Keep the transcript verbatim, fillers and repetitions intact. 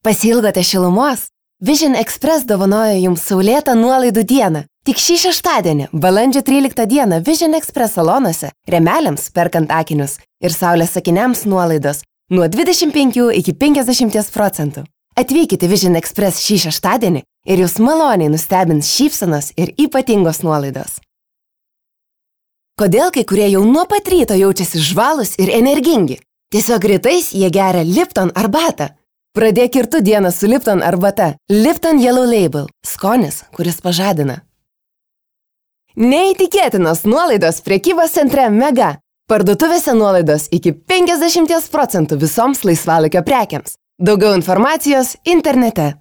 Pasilgote šilumos? Vision Express dovanoja jums saulėtą nuolaidų dieną. Tik šį šeštadienį, balandžio tryliktą dieną, Vision Express salonuose, rėmeliams perkant akinius ir saulės akiniams nuolaidos nuo dvidešimt penkių iki penkiasdešimt procentų. Atvykite Vision Express šį šeštadienį ir jūs maloniai nustebins šypsenos ir ypatingos nuolaidos. Kodėl kai kurie jau nuo pat ryto jaučiasi žvalūs ir energingi? Tiesiog rytais jie geria Lipton arbatą. Pradėk ir tu dieną su Lipton arbata. Lipton Yellow Label. Skonis, kuris pažadina. Neįtikėtinos nuolaidos prekybos centre Mega. Parduotuvėse nuolaidos iki penkiasdešimt procentų visoms laisvalaikio prekiams. Daugiau informacijos internete.